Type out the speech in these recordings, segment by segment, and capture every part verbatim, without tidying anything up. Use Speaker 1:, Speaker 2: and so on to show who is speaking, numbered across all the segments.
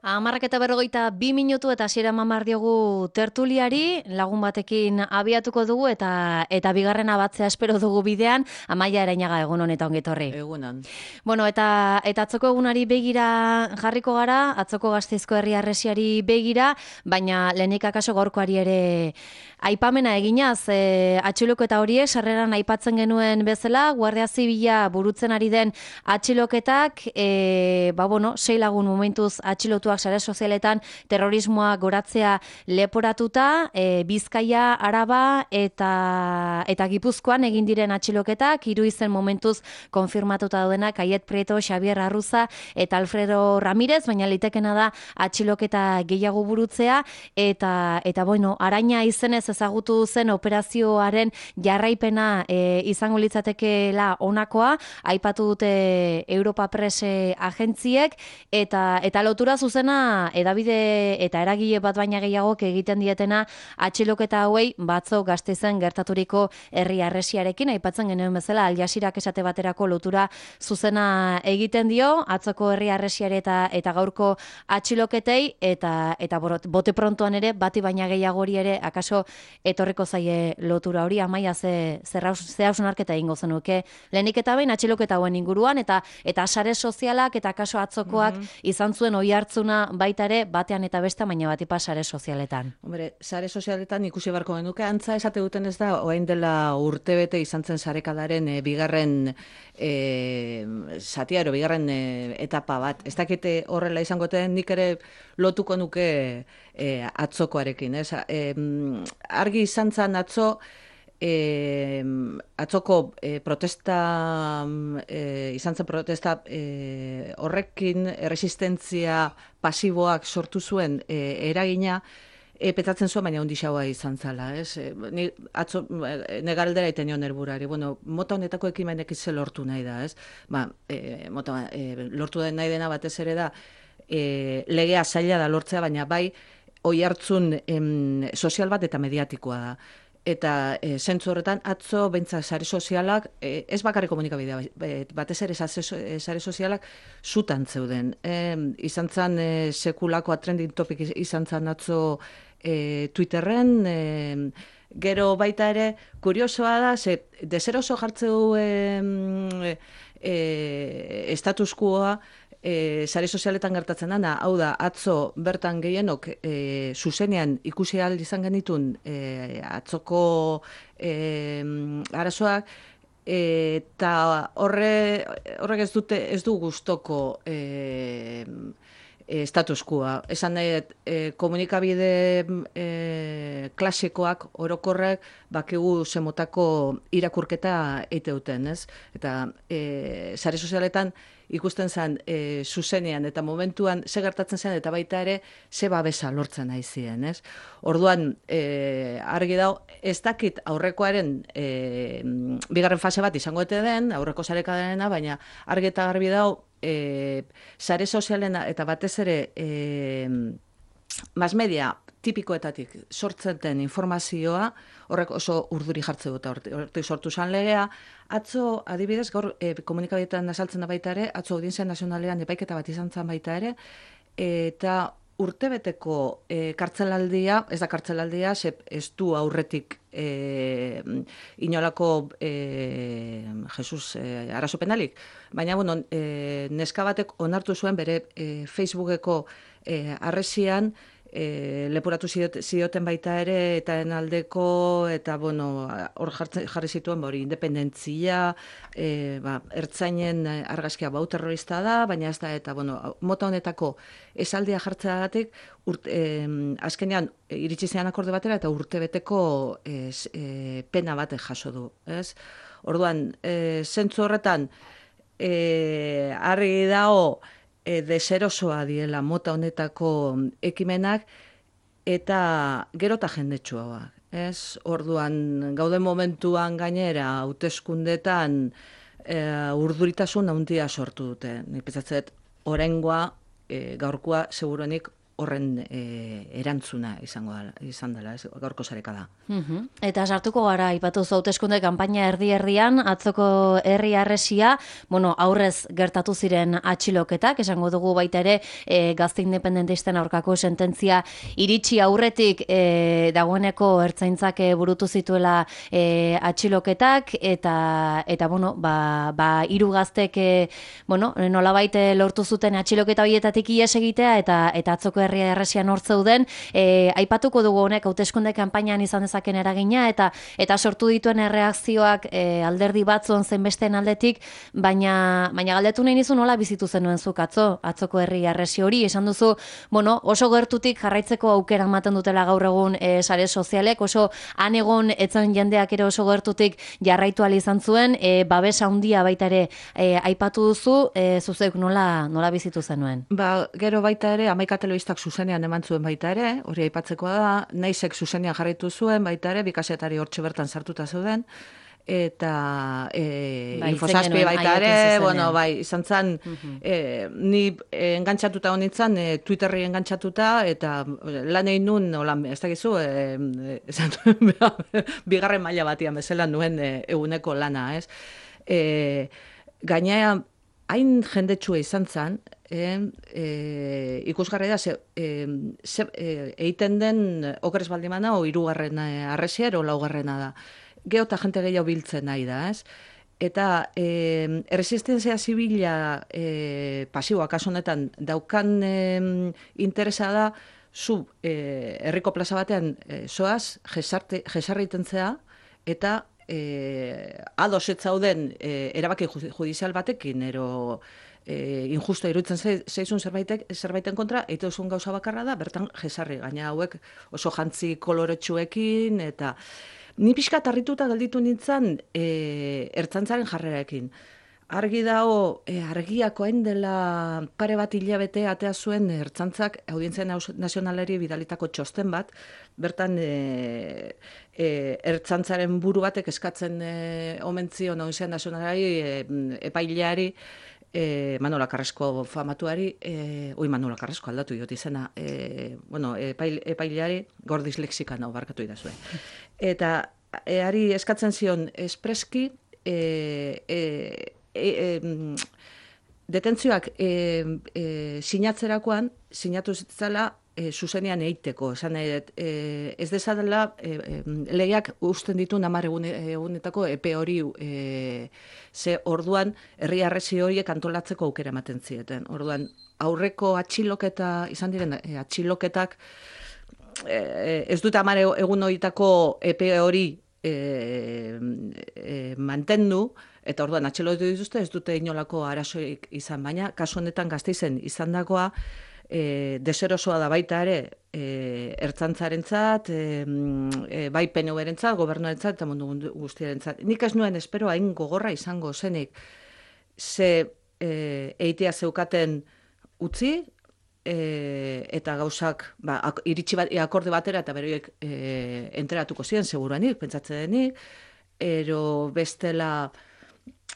Speaker 1: Hamarrak eta berrogeita bi minutu eta hasiera mamar diogu tertuliari, lagun batekin abiatuko dugu eta eta bigarrena batzea espero dugu bidean, Amaia Erainaga egun honetan ongetorri.
Speaker 2: Egunan.
Speaker 1: Bueno, eta eta atzoko egunari begira jarriko gara, atzoko Gasteizko herri harresiari begira, baina lehenik akaso gaurkoari ere aipamena eginaz, e, atxiloketa horiek sarreran aipatzen genuen bezala, Guardia Zibila burutzen ari den atxiloketak, e, ba bueno, sei lagun momentuz atxilotu sare sozialetan terrorismoa goratzea leporatuta, e, Bizkaia, Araba eta eta Gipuzkoan egin diren atxiloketak, hiru izen momentuz konfirmatuta daudenak, Aiet Prieto, Xabier Arruza eta Alfredo Ramirez, baina litekena da atxiloketa gehiago burutzea eta eta bueno, Araina izenez ezagutu zen operazioaren jarraipena e, izango litzatekeela honakoa, aipatu dute Europa Press agentziek eta eta lotura zuzena edabide eta eragile bat baina gehiagok egiten dietena atxiloketa hauei batzo Gasteizen gertaturiko herri harresiarekin, aipatzen genuen bezala Al Jazeerak esate baterako lotura zuzena egiten dio atzoko herri harresiare eta eta gaurko atxiloketei eta eta bote prontoan ere bati baina gehiagori ere akaso etorriko zaie lotura hori. Amaia ze ze hausnarketa egingo zenuke lehenik eta behin atxiloketa hauen inguruan eta eta sare sozialak eta akaso atzokoak mm -hmm. izan zuen oihartzuna baita ere batean eta beste baina batipa sare sozialetan.
Speaker 2: Hombre, sare sozialetan ikusi beharko genuke antza esate duten ez da orain dela urtebete izan zen sarekadaren e, bigarren e, zatia ero bigarren e, etapa bat. Ez dakite horrela izango den nik ere lotuko nuke e, atzokoarekin, ez? E, argi izan zen atzo E, atzoko e, protesta e, izan zen protesta e, horrekin erresistentzia pasiboak sortu zuen e, eragina e, petatzen zuen, baina ondixaua izan zala, ez? E, ni atzo negaldera iten nion erburari, bueno, mota honetako ekimenek ze lortu nahi da, ez? Ba, e, mota, e, lortu den nahi dena batez ere da e, legea zaila da lortzea, baina bai oihartzun em, sozial bat eta mediatikoa da. Eta e, zentzu horretan atzo beintza sare sozialak, e, ez bakarrik komunikabidea, batez ere sare sozialak zutan zeuden. E, izan zen e, sekulako trending topic izan zen atzo e, Twitterren, e, gero baita ere, kuriosoa da, ze deseroso jartzeu e, e, status quoa, E, sare sozialetan gertatzen dana, hau da, atzo bertan gehienok e, zuzenean ikusi ahal izan genitun e, atzoko e, arazoak, eta horre, horrek ez dute ez du gustoko e, e, status quoa. Esan nahi, e, komunikabide e, klasikoak orokorrek bakigu zemotako irakurketa eiteuten, ez? Eta e, sare sozialetan ikusten zen e, zuzenean eta momentuan ze gertatzen zen eta baita ere ze babesa lortzen nahi ziren, ez? Orduan, e, argi dau, ez dakit aurrekoaren e, bigarren fase bat izango ete den, aurreko sarekadarena, baina argi eta garbi dau, e, sare sozialena eta batez ere e, mass media tipikoetatik sortzen den informazioa, horrek oso urduri jartze dut, hortik sortu zan legea. Atzo, adibidez, gaur e, komunikabideetan azaltzen da baita ere, atzo Audientzia Nazionalean epaiketa bat izan zen baita ere, eta urtebeteko e, kartzelaldia, ez da kartzelaldia, ze ez du aurretik e, inolako e, Jesus e, arazo penalik, baina bueno, e, neska batek onartu zuen bere e, Facebookeko e, arresian, E, leporatu zioten baita ere eta enaldeko eta bueno, hor jarri zituen hori independentzia, e, ba, ertzainen argazkia bau terrorista da, baina ez da eta bueno, mota honetako esaldia jartzeagatik e, azkenean iritsi zean akorde batera eta urtebeteko e, e, pena bat jaso du, ez? Orduan, e, zentzu horretan e, argi dago E, deserosoa diela mota honetako ekimenak eta gero eta jendetsuagoak. Ez? Orduan, gauden momentuan gainera, hauteskundetan e, urduritasun handia sortu dute. Nik pentsatzen oraingoa, e, gaurkoa seguruenik horren e, erantzuna izango da, izan dela, ez, gaurko sareka da.
Speaker 1: Uhum. Eta sartuko gara, ipatu hauteskunde kanpaina erdi-erdian, atzoko herri harresia, bueno, aurrez gertatu ziren atxiloketak, esango dugu baita ere, e, gazte independentisten aurkako sententzia iritsi aurretik e, dagoeneko ertzaintzak burutu zituela e, atxiloketak, eta, eta bueno, ba, ba hiru gaztek, e, bueno, nolabait lortu zuten atxiloketa horietatik ihes egitea, eta, eta atzoko herri harresian hor zeuden, e, aipatuko dugu honek hauteskunde kanpainan izan dezaken eragina, eta eta sortu dituen erreakzioak e, alderdi batzuen zenbesteen aldetik, baina baina galdetu nahi nizu nola bizitu zenuen zuk atzo, atzoko herri harresi hori, esan duzu, bueno, oso gertutik jarraitzeko aukera ematen dutela gaur egun e, sare sozialek, oso han egon etzen jendeak ere oso gertutik jarraitu ahal izan zuen, e, babes handia baita ere e, aipatu duzu, e, zuzek nola, nola bizitu zenuen?
Speaker 2: Ba, gero baita ere, Hamaika telebistak zuzenean eman zuen baita ere, hori aipatzekoa da, naizek zuzenean jarraitu zuen baita ere, bikasetari hortxe bertan sartuta zeuden, eta e,
Speaker 1: bai,
Speaker 2: infosazpi baita ere, bueno, bai, izan zen,
Speaker 1: uh-huh.
Speaker 2: e, ni engantzatuta honitzen, e, Twitterri engantzatuta, eta lan egin nun, holan, ez dakizu, e, esan, bigarren maila batian bezala nuen e, eguneko lana, ez? E, gainea, hain jendetsua izan zen, e, e, ikusgarri da, ze, e, ze, e, eiten den okerez baldimana, o hirugarren harresia, ero laugarrena da. Geo eta jente gehiago biltzen nahi da, ez? Eta e, erresistenzia zibila e, pasiboa, kasu honetan, daukan e, interesa da, zu e, herriko plaza batean e, zoaz, jesarte, jesarri itentzea, eta e, ados ez zauden e, erabaki judizial batekin, ero e, injusto iruditzen zeizun zerbaitek, zerbaiten kontra, eite duzun gauza bakarra da, bertan jesarri, gaina hauek oso jantzi koloretsuekin, eta ni pixka tarrituta gelditu nintzen e, ertzantzaren jarreraekin. Argi dago, e, argiako hain dela pare bat hilabete atea zuen ertzantzak audientzia nazionalari bidalitako txosten bat, bertan e, e, ertzantzaren buru batek eskatzen e, omentzio audientzia nazionalari e, epaileari, E, Manola Carrasco famatuari, e, oi Manola Carrasco aldatu diot izena, e, bueno, epail, epaileari gor dislexikano barkatu idazue. Eta e, ari eskatzen zion espreski e, e, e, e, detentzioak e, e, sinatzerakoan, sinatu zitzala e, zuzenean eiteko, esan nahi dut, e, ez dezadela e, e, legeak usten ditu hamar egunetako epe hori e, ze orduan herri harresi horiek antolatzeko aukera ematen zieten. Orduan aurreko atxiloketa izan diren e, atxiloketak e, ez dut hamar egun horietako epe hori e, e, mantendu, eta orduan atxilotu dituzte ez dute inolako arazoik izan, baina kasu honetan Gasteizen izandakoa E, deserosoa da baita ere e, ertzantzarentzat, e, e, bai P N V-rentzat, gobernuarentzat eta mundu guztiarentzat. Nik ez nuen espero hain gogorra izango zenik, ze e, eitea zeukaten utzi, e, eta gauzak ba, ak, iritsi bat, akorde batera eta beroiek e, enteratuko ziren, seguruanik, pentsatzen denik, ero bestela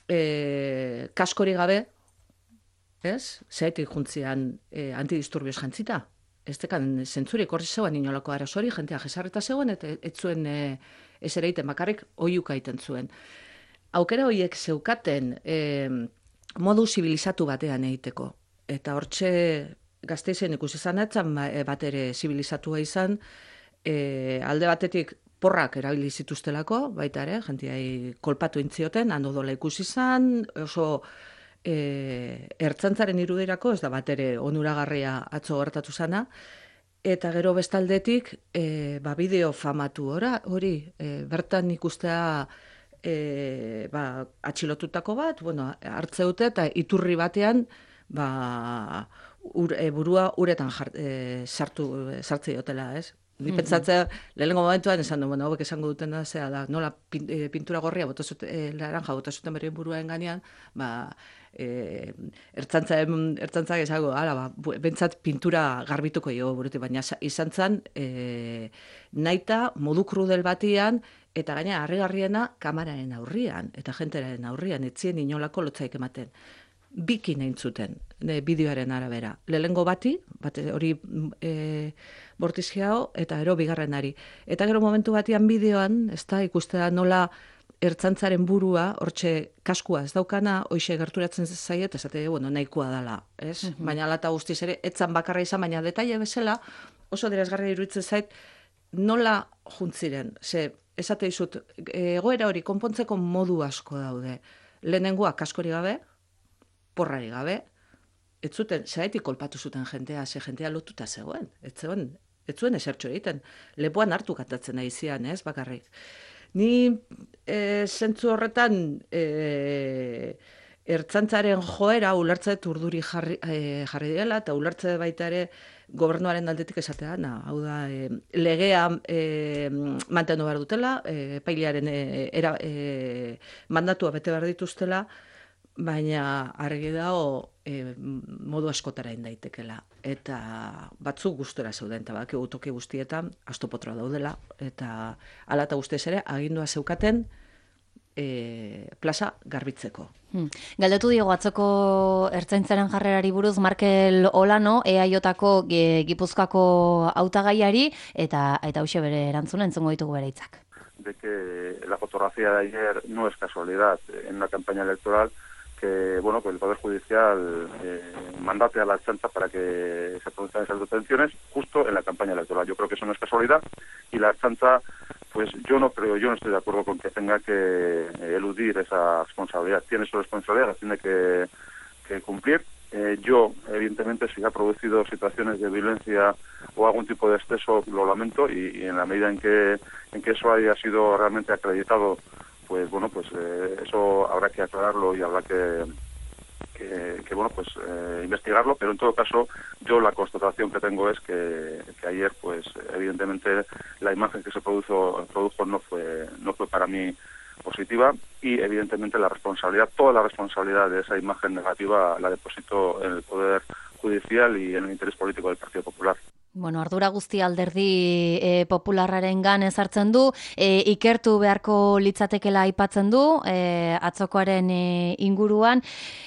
Speaker 2: e, kaskori gabe, ez? Zaitik juntzian e, antidisturbios jantzita. Ez dekan zentzurik horri zegoen inolako arazori, jentea jesarreta zegoen, eta ez zuen e, ez ere iten bakarrik oiuka iten zuen. Aukera horiek zeukaten e, modu zibilizatu batean egiteko. Eta hortxe Gasteizen ikusi izan etzan bat ere zibilizatua izan, e, alde batetik porrak erabili zituztelako, baita ere, jenteai kolpatu intzioten, hando dola ikusi izan, oso E, ertzantzaren irudirako ez da bat ere onuragarria atzo gertatu zana, eta gero bestaldetik e, ba, bideo famatu ora, hori e, bertan ikustea e, ba, atxilotutako bat, bueno, hartzeute eta iturri batean ba, ur, e, burua uretan jart, e, sartu, sartze diotela, ez? Ni pentsatzea, lehenengo momentuan esan du, bueno, hauek esango duten da, zera da, nola pintura gorria, botazute, e, laranja, botazuten berrien buruaren ganean, ba, e, ertzantzaren, ertzantzak esango, ala, ba, bentsat pintura garbituko jo buruti, baina izan zen, e, naita, modu krudel batian, eta gaina harrigarriena kamararen aurrian, eta jenteraren aurrian, etzien inolako lotzaik ematen. bikin egin zuten e, bideoaren arabera. Lehengo bati, bat hori e, bortizkiago, eta gero bigarrenari. Eta gero momentu batian bideoan, ez da, ikustea nola ertzantzaren burua, hortxe kaskua ez daukana, hoxe gerturatzen zaiet, esate, bueno, nahikoa dela, ez? Mm -hmm. Baina alata guztiz ere, etzan bakarra izan, baina detaile bezala, oso adierazgarria iruditzen zait, nola juntziren, ze, esate dizut, egoera hori konpontzeko modu asko daude. Lehenengoa kaskori gabe, porrari gabe, ez zuten, zaitik kolpatu zuten jentea, ze jentea lotuta zegoen, ez zuen, ez zuen esertxo egiten, lepoan hartu kantatzen nahi zian, ez, bakarrik. Ni e, zentzu horretan e, ertzantzaren joera ulertze urduri jarri, e, jarri dela, eta ulertze baita ere gobernuaren aldetik esatea, na, hau da, e, legea e, mantendu behar dutela, e, epailearen e, era, e, mandatua bete behar dituztela, baina argi dago e, modu askotara indaitekela. Eta batzuk gustora zeuden, eta baki toki guztietan, astopotroa daudela, eta ala eta guztiz ere, agindua zeukaten e, plaza garbitzeko.
Speaker 1: Hmm. Galdetu diogu atzoko ertzaintzaren jarrerari buruz Markel Olano, E A Jko e, Gipuzkoako hautagaiari, eta eta hauxe bere erantzuna entzungo ditugu bere hitzak.
Speaker 3: De que la fotografía de ayer no es casualidad en una campaña electoral, que bueno, que el Poder Judicial eh, mandate a la Ertzaintza para que se produzcan esas detenciones justo en la campaña electoral. Yo creo que eso no es casualidad y la Ertzaintza, pues yo no creo, yo no estoy de acuerdo con que tenga que eludir esa responsabilidad. Tiene su responsabilidad, la tiene que, que cumplir. Eh, yo, evidentemente, si ha producido situaciones de violencia o algún tipo de exceso, lo lamento y, y en la medida en que, en que eso haya sido realmente acreditado, pues bueno, pues eh, eso habrá que aclararlo y habrá que, que, que bueno, pues eh, investigarlo, pero en todo caso yo la constatación que tengo es que, que ayer, pues evidentemente la imagen que se produjo, produjo no fue, no fue para mí positiva y evidentemente la responsabilidad, toda la responsabilidad de esa imagen negativa la deposito en el Poder Judicial y en el interés político del Partido Popular.
Speaker 1: Bueno, ardura guzti alderdi e, popularraren gan ezartzen du, e, ikertu beharko litzatekela aipatzen du, e, atzokoaren e, inguruan.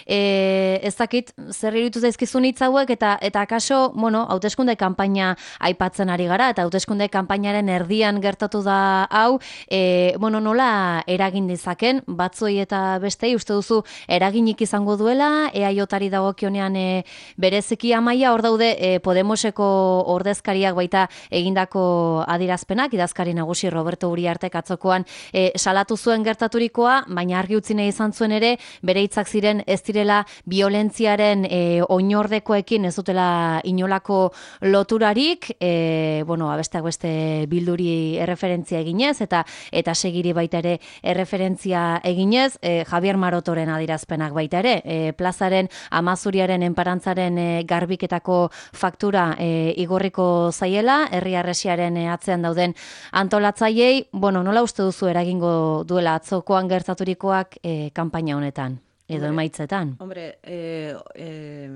Speaker 1: E, ez dakit, zer iruditu zaizkizun hitz hauek, eta eta akaso, bueno, hauteskunde kanpaina aipatzen ari gara, eta hauteskunde kanpainaren erdian gertatu da hau, e, bueno, nola eragin dizaken, batzoi eta bestei, uste duzu eraginik izango duela, E A Jari dagokionean e, bereziki Amaia, hor daude e, Podemoseko ordezkariak baita egindako adirazpenak, idazkari nagusi Roberto Uriartek atzokoan e, salatu zuen gertaturikoa, baina argi utzi nahi izan zuen ere, bere hitzak ziren ez direla violentziaren e, oinordekoekin ez dutela inolako loturarik, e, bueno, abesteak beste bilduri erreferentzia eginez, eta eta segiri baita ere erreferentzia eginez, e, Javier Marotoren adirazpenak baita ere, e, plazaren Amazuriaren enparantzaren e, garbiketako faktura e, igorri zaiela, herri arresiaren atzean dauden antolatzaileei, bueno, nola uste duzu eragingo duela atzokoan gertaturikoak e, kanpaina honetan, edo emaitzetan?
Speaker 2: Hombre, eh, eh,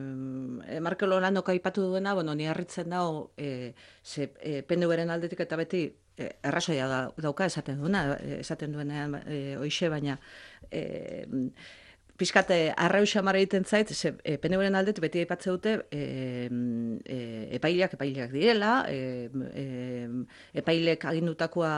Speaker 2: Markel Olanok aipatu duena, bueno, ni harritzen dago, eh, ze, eh, P N V-ren aldetik eta beti eh, errazoia da, dauka esaten duena, esaten duenean eh, oixe, baina eh, Piskate, arrauxa mara egiten zait, ze e, P N V-ren aldet beti aipatze dute e, e, epaileak, epaileak direla, e, e, epailek agindutakoa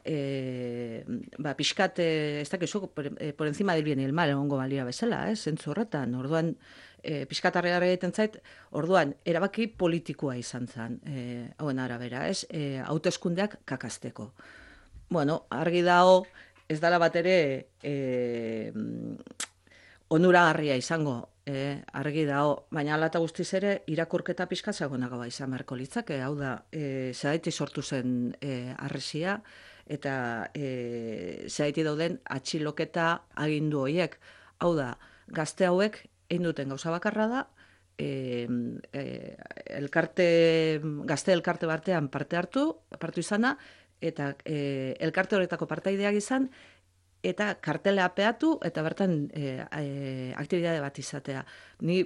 Speaker 2: e, ba, piskate, ez dakizu, por, e, por encima del bien y el mal, egongo balia bezala, eh, zentzu horretan, orduan, e, piskatarri gara egiten zait, orduan, erabaki politikoa izan zen, e, hauen arabera, ez, e, hauteskundeak kakasteko. Bueno, argi dago, ez dala bat ere, e, onuragarria izango, eh, argi dago, baina ala eta guztiz ere, irakurketa pixka zagonagoa izan beharko litzake, hau da, eh, zeraiti sortu zen eh, arresia, eta eh, zeraiti dauden atxiloketa agindu horiek. Hau da, gazte hauek, egin duten gauza bakarra da, eh, eh, elkarte, gazte elkarte batean parte hartu, partu izana, eta eh, elkarte horretako partaideak izan, eta kartela apeatu, eta bertan e, e, aktibitate bat izatea. Ni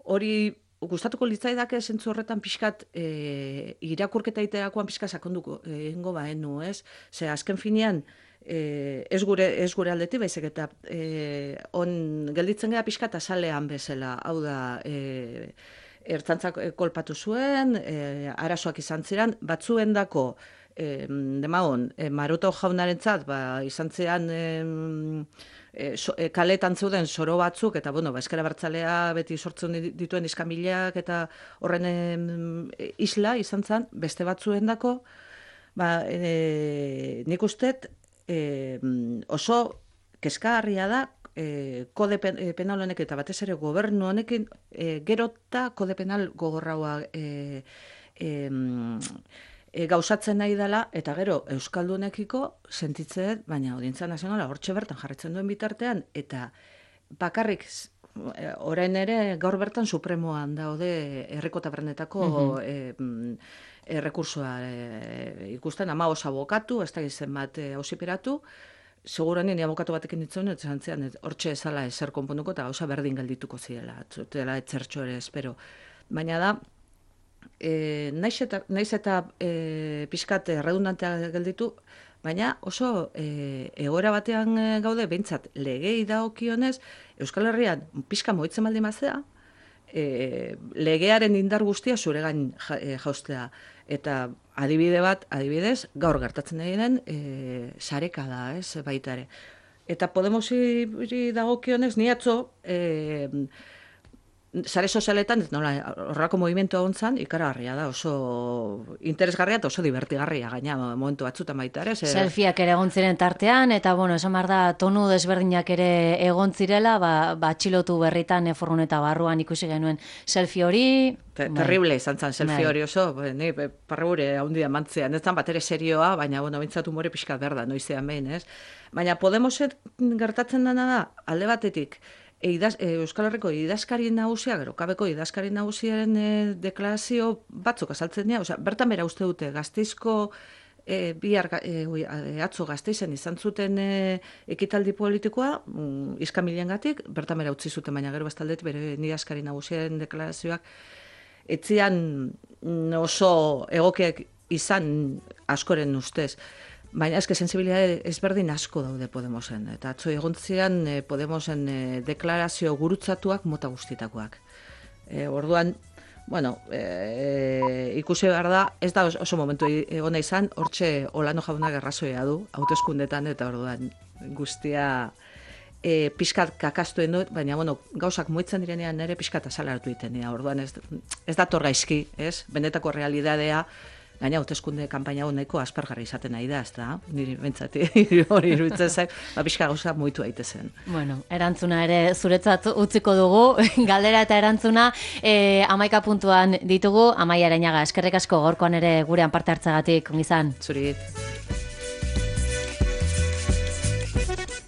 Speaker 2: hori gustatuko litzaidake zentzu horretan pixkat e, irakurketa iterakoan pixka sakonduko egingo baenu, ez? Ze azken finean E, ez gure ez gure aldetik, baizik eta e, on gelditzen gara pixka eta salean bezala, hau da, e, ertzantzak kolpatu zuen, e, arazoak izan ziren, batzuendako e, demagon, e, Maroto jaunarentzat, ba, izan ziren e, e, so, e, kaletan zeuden soro batzuk, eta bueno, ba, eskera bertzalea beti sortzen dituen iskamilak, eta horren e, isla izan zen, beste batzuendako, ba, e, nik ustet, E, oso kezkagarria da e, kode pen, e, penal honek eta batez ere gobernu honekin e, gerota kode penal gogorraua e, e, e, gauzatzen nahi dela, eta gero euskaldunekiko sentitzen, baina Audientzia Nazionala hortxe bertan jarritzen duen bitartean, eta bakarrik orain ere gaur bertan supremoan daude herriko tabernetako mm-hmm. e, errekursoa e, ikusten, ama oso abokatu, ez da izen bat auziperatu, e, seguran ni abokatu batekin ditzen, eta zantzean, hortxe ezala ezer konponduko, eta gauza berdin geldituko zirela, zutela etzertxo ere espero. Baina da, e, naiz eta, naiz eta e, pixkat redundantea gelditu, baina oso e, egoera batean gaude, behintzat legei dagokionez, Euskal Herrian pixka moitzen baldin mazea, e, legearen indar guztia zure gain ja, e, jaustea. Eta adibide bat, adibidez, gaur gertatzen egiten e, sareka da, ez, baita ere. Eta Podemosi dagokionez, ni atzo, e, sare sozialetan, nola, horrako movimentu egon zan, ikaragarria da, oso interesgarria eta oso divertigarria, gaina momentu batzutan baita ere. Zer...
Speaker 1: Selfieak ere egon ziren tartean, eta bueno, esan behar da, tonu desberdinak ere egon zirela, ba, ba txilotu berritan, eforrun eta barruan ikusi genuen selfie hori.
Speaker 2: Te, terrible izan zen selfie hori oso, ni parregure haundia mantzean, ez zan bat ere serioa, baina bueno, bintzatu more pixkat berda, noizean behin, ez? Baina Podemoset gertatzen dena da, alde batetik, E, idaz, e, Euskal Herriko idazkari nagusia, gero kabeko idazkari nagusiaren e, deklarazio batzuk azaltzen dira, osea, bertan bera uste dute Gasteizko e, bihar e, e, atzo Gasteizen izan zuten e, ekitaldi politikoa, mm, iskamiliengatik, bertan bera utzi zuten, baina gero bestaldet bere idazkari nagusiaren deklarazioak etzian oso egokiak izan askoren ustez. Baina eske sensibilitate ezberdin asko daude Podemosen. Eta atzo egontzian e, Podemosen e, deklarazio gurutzatuak mota guztitakoak. E, orduan, bueno, e, ikusi behar da, ez da oso momentu egona izan, hortxe Olano jaunak errazoia du, hauteskundetan, eta orduan guztia e, pixkat kakastuen dut, baina bueno, gauzak moitzen direnean nire pixkat azalartu itenea. Orduan ez, ez dator gaizki, ez? Benetako realidadea, gaina hauteskunde kanpaina hau nahiko aspergarri izaten nahi da, ez da? Niri bentsati hori iruditzen zaik, ba, pixka gauza moitu daitezen.
Speaker 1: Bueno, erantzuna ere zuretzat utziko dugu, galdera eta erantzuna e, amaika puntuan ditugu, Amaia Areñaga, eskerrik asko gaurkoan ere gurean parte hartzagatik, ongizan.
Speaker 2: Zuri.